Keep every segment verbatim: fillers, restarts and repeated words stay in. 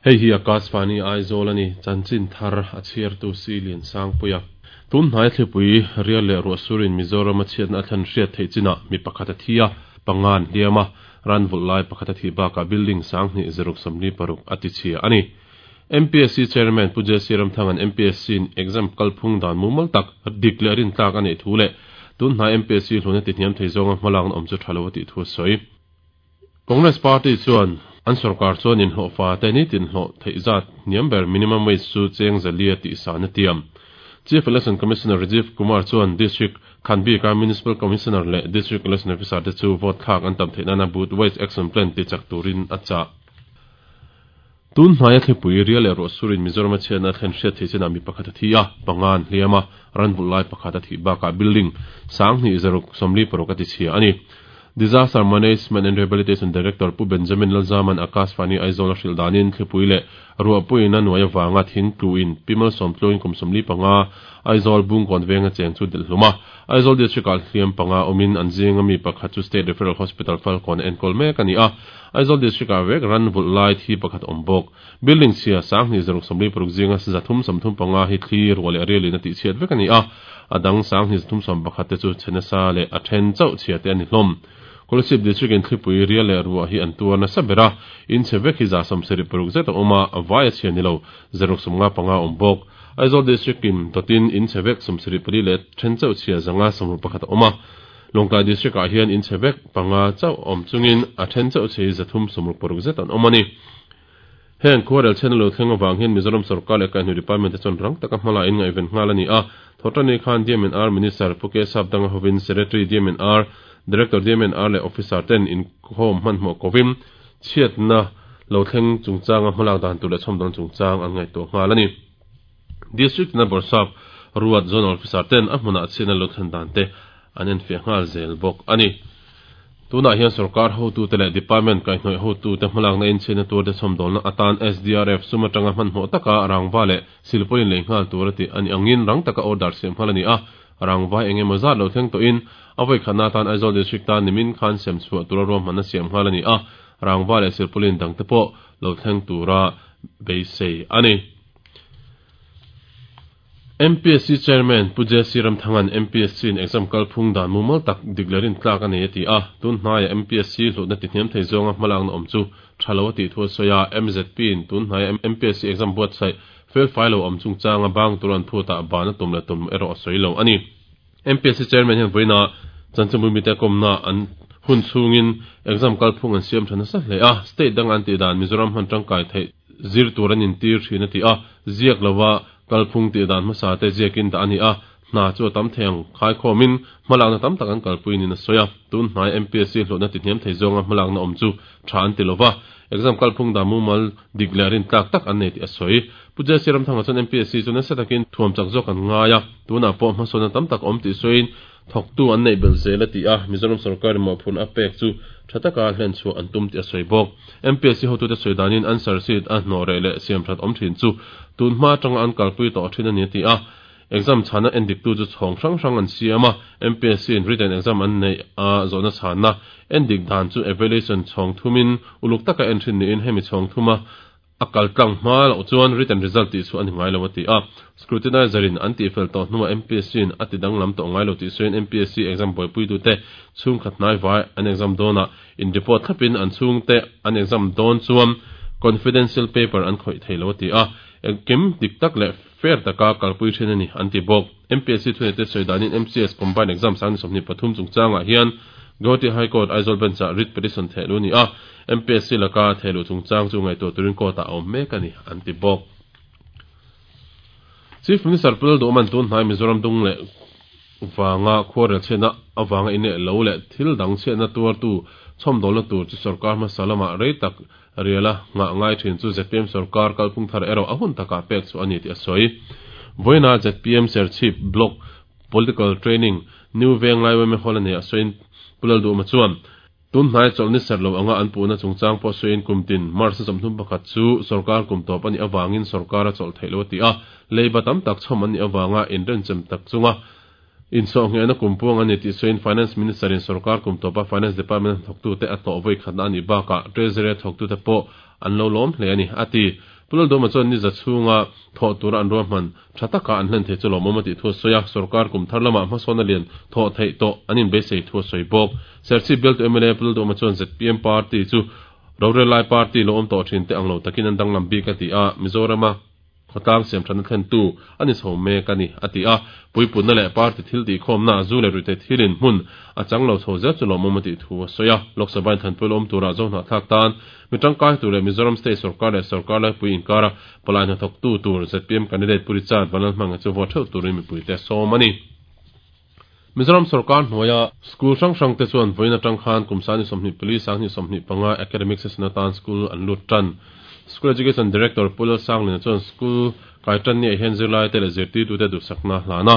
Hei hi Akashvani Aizawl a ni, chanchin thar a chhiartu si Lian Sangpuia. Tun hnai thlipui rial leh ruahsurin Mizoram a chhiatna a thlen hriat theih chinah mi pakhat a thi a, panga an hliam a, ran vulh lai pakhat a thih bakah building sanghnih zaruk sawmli paruk a tichhia a ni. M P S C Chairman Pu J C Ramthangan M P S C in exam kalphung dan mumal tak dik leh rintlak a neih thu leh tun hnai M P S C hluna ti hniam thei zawnga hmalakna awm chu tha lo a tih thu a sawi. Congress Party chuan an sarkar chuan in hlawhfa te ni tin hlawh theih zat hniam ber minimum wage chu cheng zalia tih san a tiam. Chief Election Commissioner Rajiv Kumar chuan District Khanbi ka Municipal Commissioner leh District Election Officer te chu vote thlak an tam theih nana booth wise action plan ti chak turin a chah. Tun hnaia thlipui rial leh ruahsurin Mizoram a chhiatna a thlen hriat theih chinah mi pakhat a thi a, panga an hliam a, ran vulh lai pakhat a thih bakah building sanghnih zaruk sawmli paruk a tichhia a ni. Disaster Management and Rehabilitation Director Pu Benjamin Lalzaman Akashvani Aizawl a hrilh danin thlipui leh ruahpuiin a nuai awanga thing tluin pimal sawm tluin kum sawmli panga Aizawl Bungkawn venga cheng chu delh hlum a. Aizawl District ah hliam panga awmin an zinga mi pakhat chu State Referral Hospital Falkawn a enkawl mek a ni a. Aizawl District ah vek ran vulh lai thi pakhat awm bawk. Building chhia sanghnih zaruk sawmli paruk zinga zathum sawmthum panga hi thli ruah leh rialin a tih chhiat vek a ni a. A dang sanghnih zathum sawm pakhat te chu chhenasa leh a then chauh chhia te a ni hlawm. Kolasib District in thlipui rial leh ruah hi an tuar nasa ber a, in chhe vek hi za sawmsarih paruk zet a awm a, a vai a chhia ni lo zaruk sawmnga panga awm bawk. Aizawl District in totin in chhe vek sawmsarih pali leh then chauh chhia zanga sawmruk pakhat a awm a. Lawngtlai District ah hian in chhe vek panga chauh awm chungin a then chauh chhe hi zathum sawmruk paruk zet an awm a ni. Heng khuarel chen lo thleng awang hian Mizoram sarkar leh kaihhnawih department te chuan rang taka hmala in ngaihven nghal a ni a. Thawhṭanni khan D M and R Minister Pu K Sapdanga hovin Secretary D M and R, Director D M and R leh Officer ten inkhawm hmanhmawh kovin chhiatna lo thleng chungchanga hmalak dan tur leh chhawmdawn chungchang an ngaihtuah nghal a ni. District na Bawrhsap ruat Zonal Officer ten a hmunah chhiatna lo thlen dan te an enfiah nghal zel bawk a ni. Tunah hian sarkar hotu te leh department kaihhnawih hotu te hmalakna in chhiatna tur te chhawmdawlna atan S D R F sum atanga hmanhmawh taka rangva leh silpaulin lei nghal tur a ti ani angin rang taka order siam nghal a ni a. Rangva engemaw zat lo thleng tawhin a voi khatna atan Aizawl District ta nimin khan sem chhuah tura ruahmanna siam nghal a ni a. Rangva leh silpaulin dang te pawh lo thleng tura beisei a ni. M P S C Chairman Pu J C Ramthangan M P S C in exam kalphung dan mumal tak dik leh rintlak a nei a ti a. Tun hnaia M P S C hlutna ti hniam thei zawnga hmalakna awm chu tha lo a tih thu a sawi a. M Z P in tun hnaia M P S C exam buatsaih fel fai lo awm chungchanga bang tur an phutah ban a tum leh tum erawh a sawi lo a ni. M P S C Chairman hian vawiina chanchinbu mite kawmna an hun chhungin exam kalphung an siam tha nasa hle a, state dang an tih dan Mizoram hman tangkai theih zir tur an intir thin a ti a. Ziak lova kalphung tih dan hmasa te ziakin dah a ni a, hna chu a tam thei ang khai khawmin hmalakna tam tak an kalpui nin a sawi a. Tun hnai M P S C hlutna ti hniam thei zawnga hmalakna awm chu tha an ti lova, exam kalphung dan mumal dik leh rintlak tak an nei tih a sawi. Pu J C Ramthanga chuan M P S C chu nasa takin thuam chak zawk an ngai a, tunah pawh hmasawnna tam tak awm tih sawiin thawktu an neih belh zel a ti a. Mizoram sarkar mawhphurhna a pek chu tha taka hlen chhuah an tum tih a sawi bawk. M P S C hotute sawi danin answer sheet a hnawh reh leh siam that awm thin chu tun hma atanga an kalpui tawh thin a ni a ti a. Exam chhana endik tu chu chhawng hrang hrang an siam a. M P S C in written exam an nei a zawhna chhana endik dan chu evaluation chhawng thumin uluk taka en thin niin hemi chhawng thuma a kaltlang hma loh chuan written result tih chu ani ngai lo a ti a. Scrutinizer in an tih fel tawh hnuah M P S C in a ti danglam tawh ngai lo tih sawiin M P S C exam buaipui tu te chhung khat hnai vai an exam dawnah in report thlapin an chhung te an exam dawn chuan confidential paper an khawih thei lo a ti a. Engkim dik tak leh fair taka kalpui thin a ni an ti bawk. M P S C thunei te sawi danin M C S combined exam sang ni sawmhnih pathum chungchangah hian Guwahati High Court Aizawl Bench ah writ petition thehlu ni a. M P S C laka thehlu chungchang chu ngaihtuah turin court ah a awm mek a ni an ti bawk. Chief Minister Pu Lalduhoma'n tun hnai Mizoram dung leh wanga khuarel chhiatna awanga in leh lo leh thil dang chhiatna tuartu chhawmdawlna tur chu sarkar hmasa lamah rei tak riala ngah ngai thin chu Z P M sarkar kalphung thar erawh a hun takah pek chu a ni tih a sawi. Vawiina Z P M Serchhip Block Political Training New Venglai Y M A Hall a nei a sawiin Pu Lalduhoma chuan tun hnai chawlh ni ser lo anga an puhna chungchang pawh sawiin kum tin March ni sawmthum pakhat chu sarkar kum tawp a nih awangin sarkar a chawlh theih lo a ti a. Leiba tam tak chhawm an nih awanga inrenchem tak chunga insawhnghehna kum puang a ni tih sawiin Finance Minister in sarkar kum tawpa Finance Department thawktute a tlawh voi khatna a nih bakah Treasury a thawktute pawh an lo lawm hle a ni a ti. Pu Lalduhoma chuan ni za chhunga thawh tura an ruahman tha taka an hlen thei chu lawmawm a tih thu a sawi a, sorkar kum thar lamah hmasawn a lian thawh theih tawh an inbeisei thu a sawi bawk. Serchhip bialtu M L A Pu Lalduhoma chuan Z P M party chu rorel lai party lo awm tawh thin te ang lo takin an danglam bik a ti a, Mizorama khawtlang siam thana thlen tu ani chho mek ani a ti a, puipunna leh party thil tih khawmna zu leh ruihtheih thilin hmun a chang lo chho zel chu lawmawm a tih thu a sawi a. Lok Sabha in thanpui lo awm tura zo hnahthlak tan mi tangkai tur leh Mizoram State Sorkar leh Sorkar laipui inkara palai hnathawk tu tur Z P M candidate Pu Richard Vanlalhmanga chu vote theuh turin mipuite a sawm ani. Mizoram Sorkar hnuaia school hrang hrang te chuan vawiin atang khan kum sangni sawmhnih pali sangni sawmhnih panga academic session atan school an lut tan. School Education Director Pu Lalsanglina chuan school kai tan ni ah hian zirlai te leh zirtirtute duhsakna hlana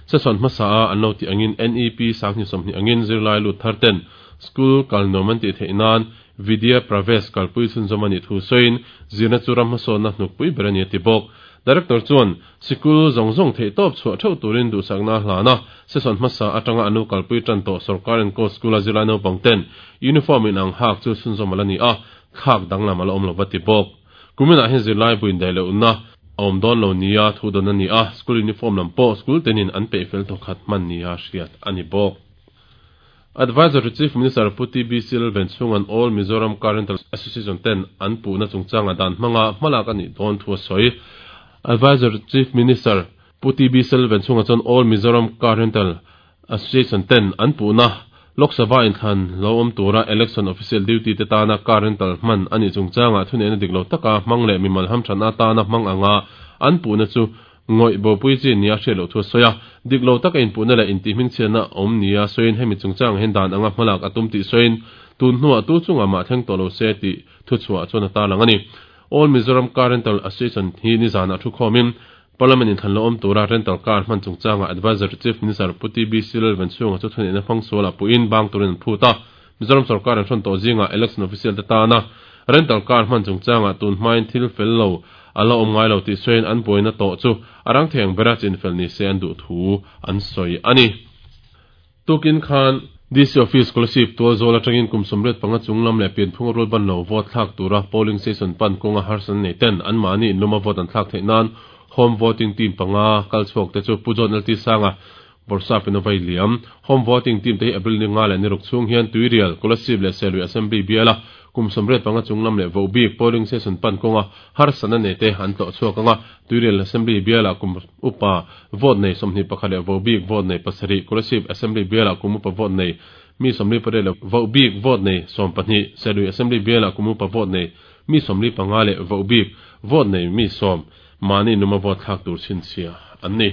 session hmasa a an lo tih angin N E P sangni sawmhnih angin zirlai lut thar ten school kal nuam an tih theih nan Vidya Pravesh kalpui chhunzawm ani thu sawiin zirna chu ram hmasawnna hnukpui ber ani a ti bawk. Director chuan sikul zawng zawng theih tawp chhuah theuh turin duhsakna hlana session hmasa atanga anu kalpui tan tawh sorkar enkawl school a zirlai naupang ten uniform in ang hak chu chhunzawm ala ni a, thlak danglam ala awm lo va ti bawk. Kuminah hian zirlai buin daih lohna a awm dawn lo nia thu dawn ani a, school uniform lam pawh school tenin an peih fel thawkhat hman nia hriat ani bawk. Advisor to Chief Minister Pu T B C Lalvenchhunga'n All Mizoram Car Rental Association ten an puhna chungchanga dan hmanga hmalak ani dawn thu a sawi. Advisor to Chief Minister Pu T B C Lalvenchhunga chuan All Mizoram Car Rental Association ten an puhna Lok Sabha inthlan lo awm tura election official duty te tana car rental hman ani chungchanga thuneihna dik lo taka hmang leh mimal hamthana tana hmang anga an puhna chu ngawih bopui chi nia hriat loh thu a sawi a, dik lo taka inpuhna leh intihhming chhiatna awm nia sawiin hemi chungchang hian dan anga hmalak a tum tih sawiin tun hnuah tu chungah mah thleng tawh lo se tih thu chhuah chuan a tarlang ani. All Mizoram Car Rental Association hi nizanah thu khawmin Parliament inthlan lo awm tura rental car hman chungchanga Advisor to Chief Minister Pu T B C Lalvenchhunga chu thuneihna hmang sualah puiin bang turin an phut a. Mizoram Sorkar an hrawn tawh zingah election official te tana rental car hman chungchanga tun hmain thil fel lo ala awm ngai lo tih sawiin an buaina tawh chu a rang theng bera chin fel ni se an duh thu an sawi ani. Tukin khan D C Office Scholarship tual zawl atangin kum sawmriat panga chunglam leh pianphung a rual ban lo vote thlak tura polling station pan kawnga harsan nei ten an mahni inluma vote an thlak theih nan home voting team panga kal chhuak te chu Pu John L T Sanga Borsa Pinovai Liam. Home voting team te hi April ni nga leh ni ruk chhung hian Tuirial, Kolasib leh Selui Assembly biala kum sawmriat panga chunglam leh vohbik polling station pan kawnga harsana nei te an tlawh chhuak anga Tuirial Assembly biala kum upa vote nei sawmhnih pakhat leh vohbik vote nei pasarih, Kolasib Assembly biala kum upa vote nei mi sawmli pariat leh vohbik vote nei sawm pahnih, Selui Assembly biala kum upa vote nei mi sawmli panga leh vohbik vote nei mi sawm mani numa vote thlak tur chhinchhia an ni.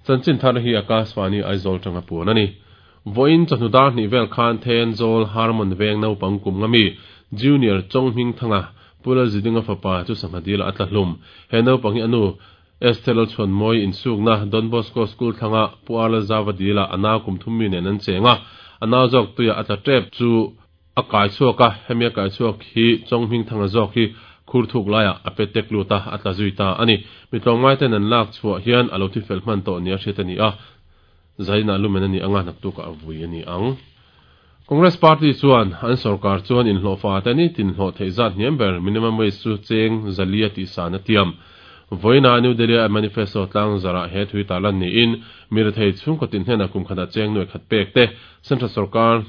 Chanchin thar hi Akashvani Aizawl tanga puan ani. Voin chawhnu dar hnih vel khan Thenzawl Harmon veng naupang kum nga mi Junior Chonghming Thanga Pula Zidinga fapa chu sangha dil a tla hlum. He naupang hi anu Esther Lalchhuan Mawi insukna Don Bosco School thlanga Pu Arla Zawa dila ana kum thum mi nen an chenga. Ana zawk tuia a tla tep chu a kai chhuak a, hemi a kai chhuak hi Chonghming Thanga zawk hi khur thuk laia a pe tek luta a tla zui ta ani. Mi tlawng ngai ten an lak chhuah hian a lo thi fel hman tawh nia hriat ani a, zaina lumen ani anga naktuk a vui ani ang. Congress Party chuan an sarkar chuan inhlawhfa te ni tin hlawh theih zat hniam ber minimum wage chu cheng zalia tih san a tiam. Voina New Delhi a manifesto tlang zara he thui talan ni in mirathei chhung ko tin hnena kum khata cheng noi khat pek te central sarkar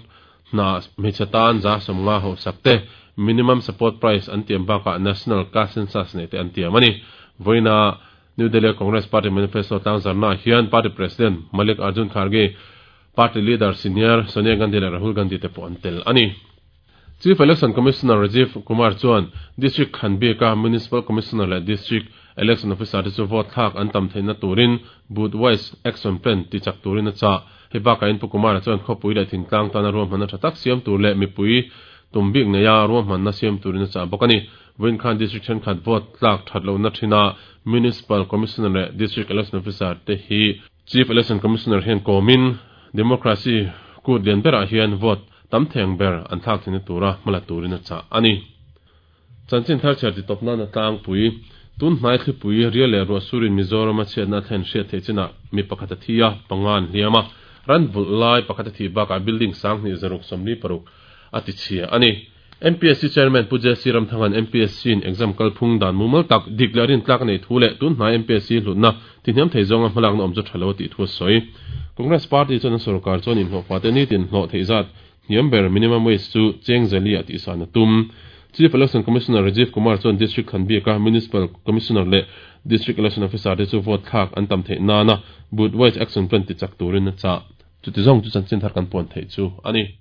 na hmeichhe za sawmnga ho sak te minimum support price an tiam bakah national cash census nei te an tiam ani. Voina New Delhi Congress Party manifesto tlang zarna hian party president Malik Arjun Kharge, party leader senior Sonia Gandhi leh Rahul Gandhi te pawh an tel ani. Chief Election Commissioner Rajiv Kumar chuan District Khanbika Municipal Commissioner leh District Election Officer te chu vote thlak an tam theihna turin booth wise action plan ti chak turin a cha. Hei bakah in Pu Kumar chuan khawpui leh thingtlang tana ruahmanna tha tak siam tur leh mipui tumbik neia ruahmanna siam turin a cha bawk ani. Voin khan District thenkhat vote tlak that lohna thina Municipal Commissioner leh District Election Officer te hi Chief Election Commissioner hian kawmin democracy kut lian berah hian vote tam theng ber an thlak theihna tura hmala turin a cha ani. Chanchin thar chhiar ti tawpna na tlangpui tun hnai thlipui rial leh ruah surin Mizoram a chhiatna thlen hriat theih chinah mi pakhat a thi a, panga an hliam a, ran vulh lai pakhat a thi bakah building sang hnih zaruk sawmli paruk a ti chhia ani. M P S C Chairman Pu J C Ramthangan M P S C in exam kalphung dan mumal tak dik leh rintlak nei thu leh tun hnai M P S C hlutna tihniam thei zawnga hmalakna awm chu tha lo tih thu a sawi. Congress Party chuan an sorkar chuan inhlawhfa te nitin hlawh theih zat hniam ber minimum wage chu cheng zali a tihsan a tum. Chief Election Commissioner Rajiv Kumar chuan District Khanbika Municipal Commissioner leh District Election Officer te chu vote thlak an tam theih nana booth wise action plan ti chak turin a chah. Chuti zawng chu chanchin thar kan puan theih chu ani.